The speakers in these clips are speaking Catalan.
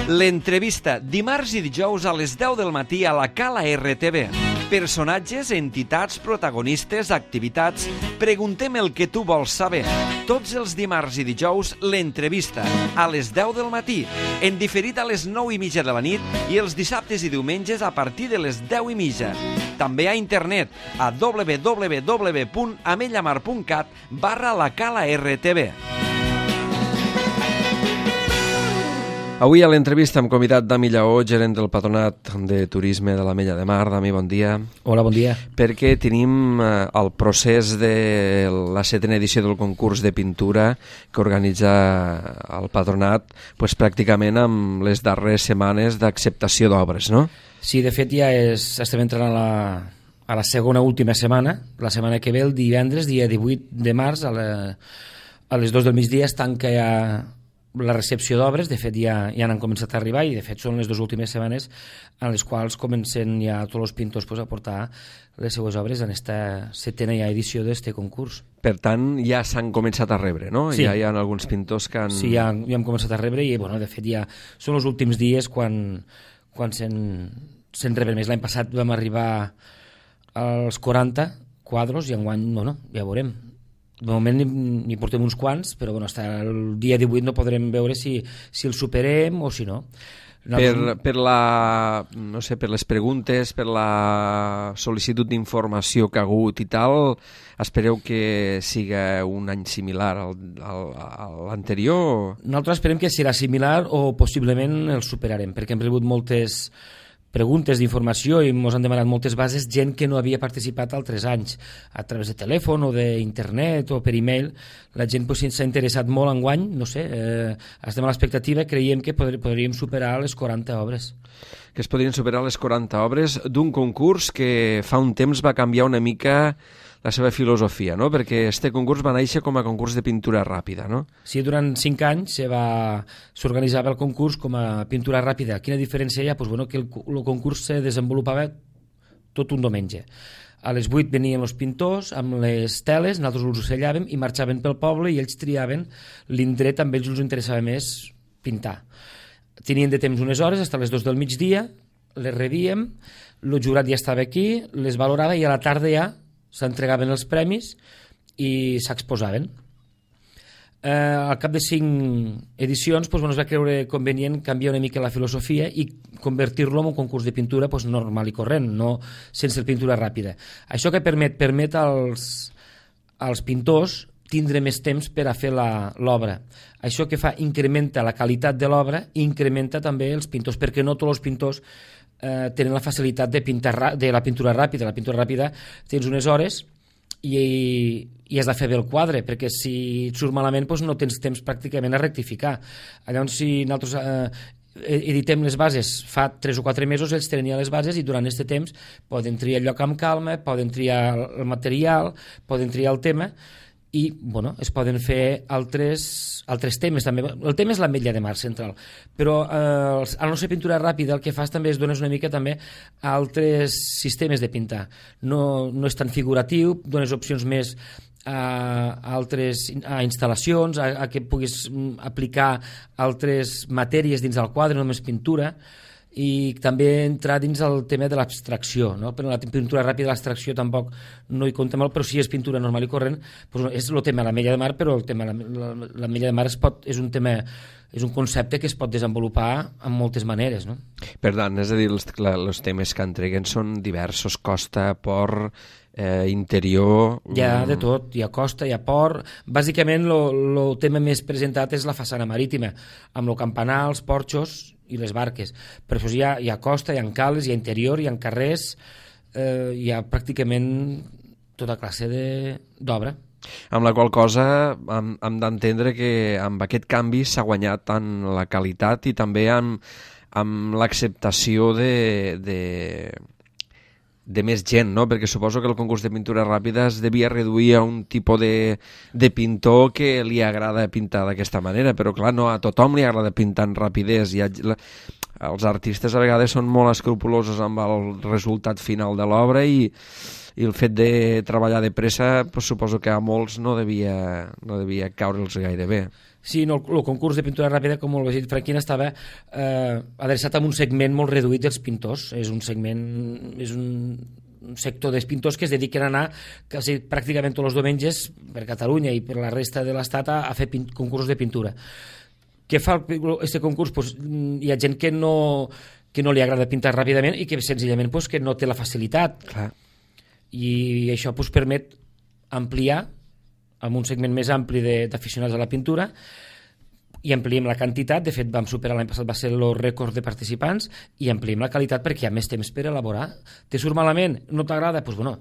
L'entrevista, dimarts i dijous a les 10 del matí a la Cala RTV. Personatges, entitats, protagonistes, activitats. Preguntem el que tu vols saber. Tots els dimarts i dijous, l'entrevista, a les 10 del matí, en diferit a les 9:30 de la nit i els dissabtes i diumenges a partir de les 10:30. També a internet a www.amellamar.cat/la Cala RTV. Avui a l'entrevista hem convidat Dami Lleó, gerent del Patronat de Turisme de l'Ametlla de Mar. Dami, bon dia. Hola, bon dia. Perquè tenim el procés de la 7ª edició del concurs de pintura que organitza el Patronat pràcticament amb les darreres setmanes d'acceptació d'obres, no? Sí, de fet ja estem entrant a la segona última setmana. La setmana que ve, el divendres, dia 18 de març, a les 2 del migdia es tanca ja la recepció d'obres. De fet ja han començat a arribar i de fet són les 2 últimes setmanes en les quals comencen ja tots els pintors a portar les seues obres en aquesta 7ª ja edició d'aquest concurs. Per tant, ja s'han començat a rebre, no? Sí. Ja hi ha alguns pintors que han... Sí, ja hem començat a rebre i de fet ja són els últims dies quan se'n reben més. L'any passat vam arribar als 40 quadros i enguany, ja veurem. De moment n'hi portem uns quants, però fins el dia 18 no podrem veure si el superem o si no. Per les preguntes, per la sol·licitud d'informació que ha hagut i tal, espereu que siga un any similar a l'anterior? Nosaltres esperem que serà similar o possiblement el superarem, perquè hem rebut moltes preguntes d'informació i ens han demanat moltes bases gent que no havia participat altres anys a través de telèfon o d'internet o per e-mail. La gent s'ha interessat molt enguany, estem a l'expectativa, creiem que podríem superar les 40 obres. Que es podrien superar les 40 obres d'un concurs que fa un temps va canviar una mica la seva filosofia, no? Perquè este concurs va néixer com a concurs de pintura ràpida, no? Sí, durant 5 anys s'organitzava el concurs com a pintura ràpida. Quina diferència hi ha? Que el concurs se desenvolupava tot un diumenge. A les 8 venien els pintors amb les teles, nosaltres els ocellàvem i marxaven pel poble i ells triaven l'indret, amb ells els interessava més pintar. Tenien de temps unes hores, fins a les 2 del migdia, les rebíem, el jurat ja estava aquí, les valorava i a la tarda ja s'entregaven els premis i s'exposaven. Al cap de 5 edicions es va creure convenient canviar una mica la filosofia i convertir-lo en un concurs de pintura normal i corrent, no sense pintura ràpida. Això que permet als pintors tindre més temps per a fer l'obra. Això que fa incrementa la qualitat de l'obra i incrementa també els pintors, perquè no tots els pintors tenen la facilitat de la pintura ràpida. La pintura ràpida tens unes hores i has de fer bé el quadre, perquè si et surt malament no tens temps pràcticament a rectificar. Llavors, si nosaltres editem les bases fa 3 o 4 mesos, ells tenen ja les bases i durant aquest temps poden triar el lloc amb calma, poden triar el material, poden triar el tema i es poden fer altres temes també. El tema és l'Ametlla de Mar central, però al no ser pintura ràpida el que fas també és dones una mica també a altres sistemes de pintar. No és tan figuratiu, dones opcions més a instal·lacions, a que puguis aplicar altres matèries dins del quadre, no només pintura, i també entrar dins el tema de l'abstracció, no? Però la pintura ràpida, l'abstracció tampoc no hi compta molt, però si és pintura normal i corrent, és el tema de l'Ametlla de Mar, però el tema de l'Ametlla de Mar és un concepte que es pot desenvolupar en moltes maneres, no? Per tant, és a dir, els temes que entreguen són diversos, costa, port, interior... Hi ha de tot, hi ha costa, hi ha port. Bàsicament el tema més presentat és la façana marítima, amb el campanar, els porxos i les barques. Per això hi ha costa, hi ha cales, hi ha interior, hi ha carrers, hi ha pràcticament tota classe d'obra. Amb la qual cosa hem d'entendre que amb aquest canvi s'ha guanyat tant la qualitat i també amb l'acceptació de més gent, no? Perquè suposo que el concurs de pintura ràpida es devia reduir a un tipus de pintor que li agrada pintar d'aquesta manera, però clar, no a tothom li agrada pintar en rapidesa. Els artistes a vegades són molt escrupulosos amb el resultat final de l'obra i I el fet de treballar de pressa, pues, suposo que a molts no devia caure'ls gaire bé. Sí, no, el concurs de pintura ràpida, com ho ha dit Franquina, estava adreçat a un segment molt reduït dels pintors. És un sector dels pintors que es dediquen a anar quasi pràcticament tots els diumenges per Catalunya i per la resta de l'Estat a fer concursos de pintura. Què fa aquest concurs? Pues, hi ha gent que no li agrada pintar ràpidament i que senzillament pues, que no té la facilitat. Clar. I això pues, permet ampliar amb un segment més ampli d'aficionats a la pintura i ampliem la quantitat. De fet, vam superar l'any passat, va ser el rècord de participants, i ampliem la qualitat perquè hi ha més temps per elaborar. Te surt malament? No t'agrada? Doncs bueno,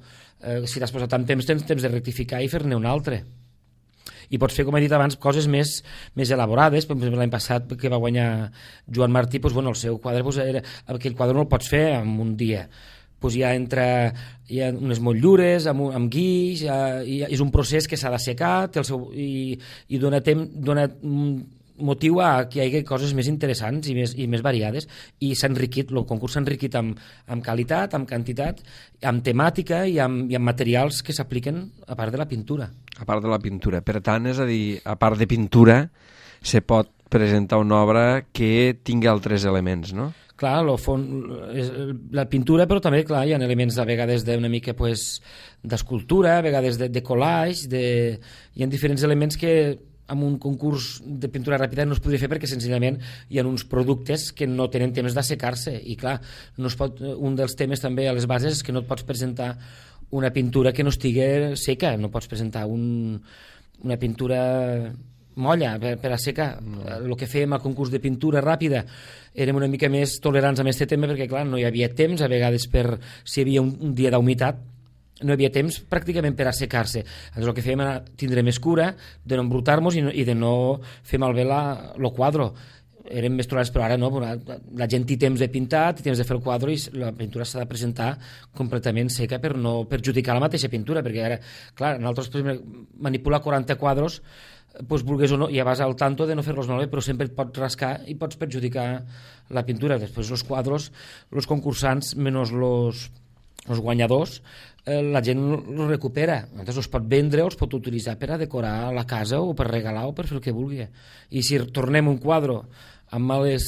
si t'has posat tant temps, tens temps de rectificar i fer-ne un altre. I pots fer, com he dit abans, coses més elaborades. Per exemple, l'any passat que va guanyar Joan Martí, doncs, bueno, el seu quadre, doncs, aquell quadre no el pots fer en un dia. Doncs hi ha unes motllures amb guix, és un procés que s'ha d'assecar i dona motiu a que hi hagi coses més interessants i més variades, i s'ha enriquit, el concurs s'ha enriquit amb qualitat, amb quantitat, amb temàtica i amb materials que s'apliquen a part de la pintura. A part de la pintura. Per tant, és a dir, a part de pintura, se pot presentar una obra que tingui altres elements, no? Clar, la pintura, però també clar, hi ha elements a vegades d'una mica d'escultura, a vegades de collage, hi ha diferents elements que amb un concurs de pintura ràpida no es podria fer perquè senzillament hi ha uns productes que no tenen temps d'assecar-se, i clar, un dels temes també a les bases és que no et pots presentar una pintura que no estigui seca, no pots presentar una pintura molla per assecar. El que fèiem al concurs de pintura ràpida érem una mica més tolerants amb aquest tema perquè clar, no hi havia temps, a vegades si hi havia un dia d'humitat no hi havia temps pràcticament per assecar-se. Llavors el que fèiem era tindre més cura de no embrutar-nos i de no fer malbé el quadre. Érem més tolerants, però ara no, la gent té temps de pintar, té temps de fer el quadre, i la pintura s'ha de presentar completament seca per no perjudicar la mateixa pintura, perquè ara, clar, nosaltres manipular 40 quadres, doncs vulguis o no, ja vas al tanto de no fer-los malbé, però sempre et pots rascar i pots perjudicar la pintura. Després els quadres, els concursants, menys els guanyadors, la gent els recupera, llavors els pot vendre o els pot utilitzar per a decorar la casa o per regalar o per fer el que vulgui. I si tornem un quadre amb males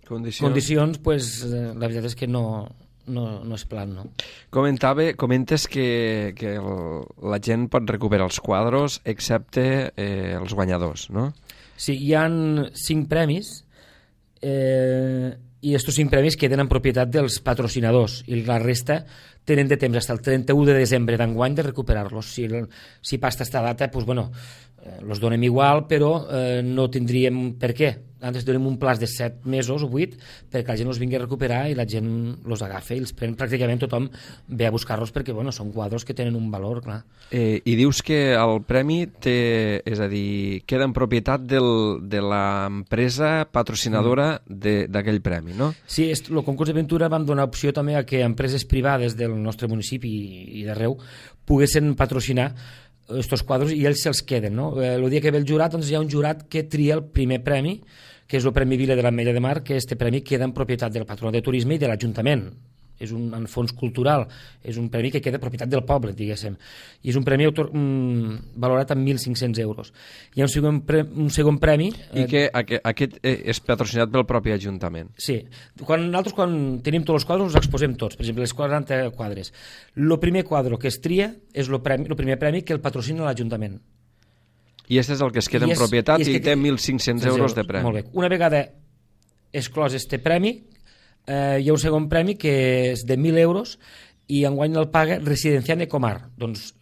condicions, pues, la veritat és que no és plan, no? Comentes que la gent pot recuperar els quadres excepte els guanyadors, no? Sí, hi ha 5 premis i aquests 5 premis queden en propietat dels patrocinadors i la resta tenen de temps fins al 31 de desembre d'enguany de recuperar-los. Si passa aquesta data, doncs, bueno, els donem igual, però no tindríem per què. Antes donem un plaç de 7 mesos o 8 perquè la gent els vingui a recuperar i la gent els agafa i els pren. Pràcticament tothom ve a buscar-los perquè bueno, són quadres que tenen un valor, clar. I dius que el premi és a dir, queda en propietat de l'empresa patrocinadora d'aquell premi, no? Sí, el concurs de pintura vam donar opció també a que empreses privades del nostre municipi i d'arreu poguessin patrocinar aquests quadres i ells se'ls queden, no? El dia que ve el jurat, doncs hi ha un jurat que tria el primer premi, que és el Premi Vila de l'Ametlla de Mar, que aquest premi queda en propietat del Patronat de Turisme i de l'Ajuntament. És un fons cultural, és un premi que queda propietat del poble, diguéssim. I és un premi valorat en 1.500 euros. Hi ha un segon premi... I que aquest és patrocinat pel propi Ajuntament. Sí. Nosaltres, quan tenim tots els quadres, els exposem tots. Per exemple, els 40 quadres. El primer quadre que es tria és el primer premi que el patrocina l'Ajuntament. I aquest és el que es queda en propietat i té 1.500 euros de premi. Molt bé. Una vegada exclòs este premi, hi ha un segon premi que és de 1.000 euros i enguany el paga Residencial Ecomar. Doncs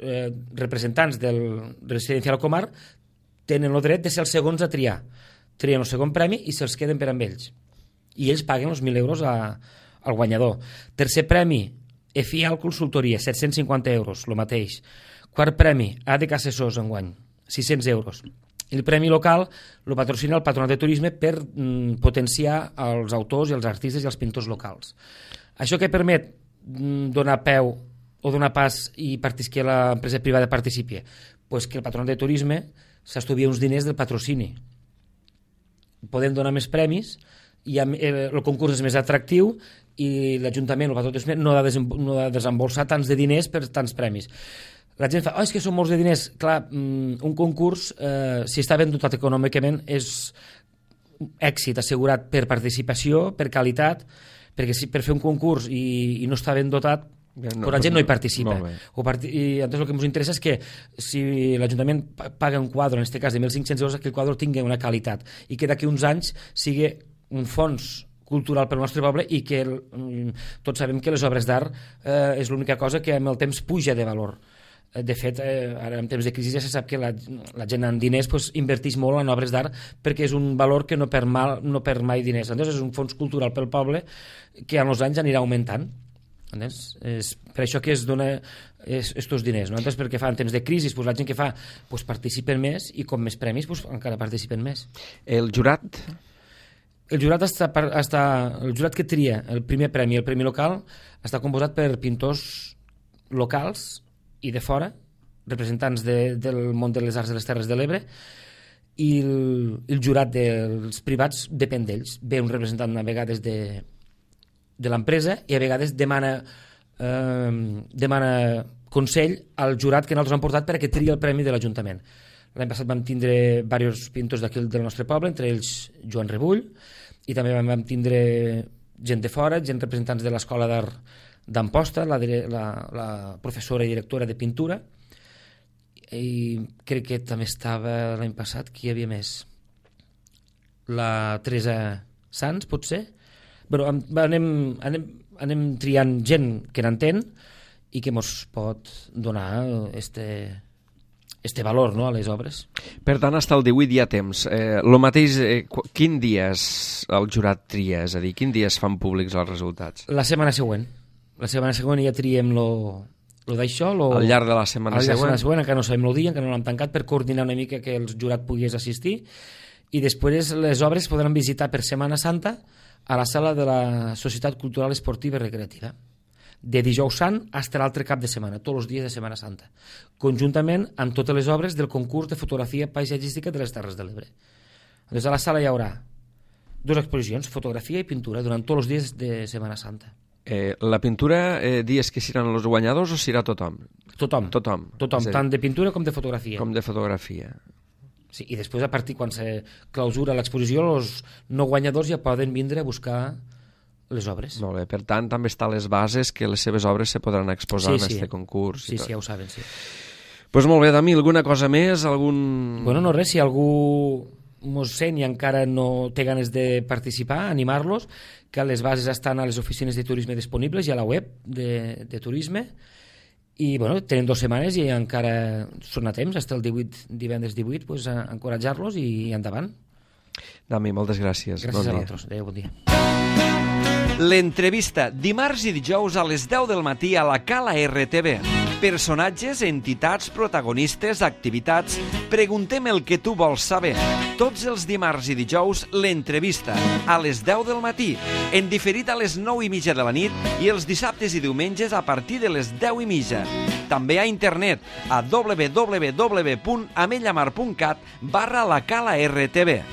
representants del Residencial Ecomar tenen el dret de ser els segons a triar. Trien el segon premi i se'ls queden per amb ells. I ells paguen els 1.000 euros al guanyador. Tercer premi, EFIAL Consultoria, 750 euros, el mateix. Quart premi, ADK Assessors enguany, 600 euros. El premi local el patrocina el Patronat de Turisme per potenciar els autors i els artistes i els pintors locals. Això què permet donar peu o donar pas i que l'empresa privada participi? Pues que el Patronat de Turisme s'estalvia uns diners del patrocini. Podem donar més premis, el concurs és més atractiu i l'Ajuntament, el patró no ha de desembolsar tants de diners per tants premis. La gent fa, és que són molts de diners. Clar, un concurs, si està ben dotat econòmicament, és èxit assegurat per participació, per qualitat, perquè si per fer un concurs i no està ben dotat, la gent no hi participa. I entonces el que ens interessa és que si l'Ajuntament paga un quadre, en aquest cas de 1.500 euros, que el quadre tingui una qualitat i que d'aquí uns anys sigui un fons cultural pel nostre poble i que tots sabem que les obres d'art és l'única cosa que amb el temps puja de valor. De fet, ara en temps de crisi ja se sap que la gent amb diners inverteix molt en obres d'art perquè és un valor que no perd mai diners. Entonces és un fons cultural pel poble que amb els anys anirà augmentant. És per això que es dona estos diners, no? Entonces, perquè fa en temps de crisi, la gent que fa participen més i com més premis encara participen més. El jurat? El jurat que tria el primer premi, el premi local, està composat per pintors locals i de fora, representants del món de les arts de les Terres de l'Ebre, i el jurat dels privats depèn d'ells. Ve un representant a vegades de l'empresa i a vegades demana consell al jurat que nosaltres hem portat perquè tria el premi de l'Ajuntament. L'any passat vam tindre diversos pintors d'aquí del nostre poble, entre ells Joan Rebull, i també vam tindre gent de fora, gent representants de l'Escola d'Art d'Amposta, la professora i directora de pintura, i crec que també estava l'any passat, qui hi havia més? La Teresa Sans, potser? Però anem triant gent que n'entén i que ens pot donar este valor, no, a les obres. Per tant, fins al 18 hi ha temps. Lo mateix, quin dia el jurat tria? És a dir, quin dia es fan públics els resultats? La setmana següent. La setmana següent ja triem lo d'això. Al llarg de la setmana següent? La setmana següent, encara no sabem el dia, encara no l'hem tancat, per coordinar una mica que el jurat pogués assistir. I després les obres podran visitar per Setmana Santa a la sala de la Societat Cultural Esportiva i Recreativa, de dijous sant fins a l'altre cap de setmana, tots els dies de Setmana Santa, conjuntament amb totes les obres del concurs de fotografia paisatgística de les Terres de l'Ebre. Des de la sala hi haurà 2 exposicions, fotografia i pintura, durant tots els dies de Setmana Santa. La pintura, dies que seran els guanyadors o serà tothom? Tothom, tant de pintura com de fotografia. Com de fotografia. Sí, i després, a partir quan se clausura l'exposició, els no guanyadors ja poden vindre a buscar les obres. Molt bé, per tant, també està a les bases que les seves obres se podran exposar en aquest concurs. Sí, ja ho saben, sí. Doncs molt bé, Dami, alguna cosa més? Bueno, no res, si algú mos sent i encara no té ganes de participar, animar-los, que les bases estan a les oficines de turisme disponibles i a la web de turisme. I tenen 2 setmanes i encara són a temps, fins el divendres 18, encoratjar-los i endavant. Dami, moltes gràcies. Gràcies a vosaltres. Adéu, bon dia. L'entrevista, dimarts i dijous a les 10 del matí a la Cala RTV. Personatges, entitats, protagonistes, activitats... Preguntem el que tu vols saber. Tots els dimarts i dijous, l'entrevista, a les 10 del matí, en diferit a les 9:30 de la nit i els dissabtes i diumenges a partir de les 10:30. També a internet, a www.amellamar.cat/la Cala RTV.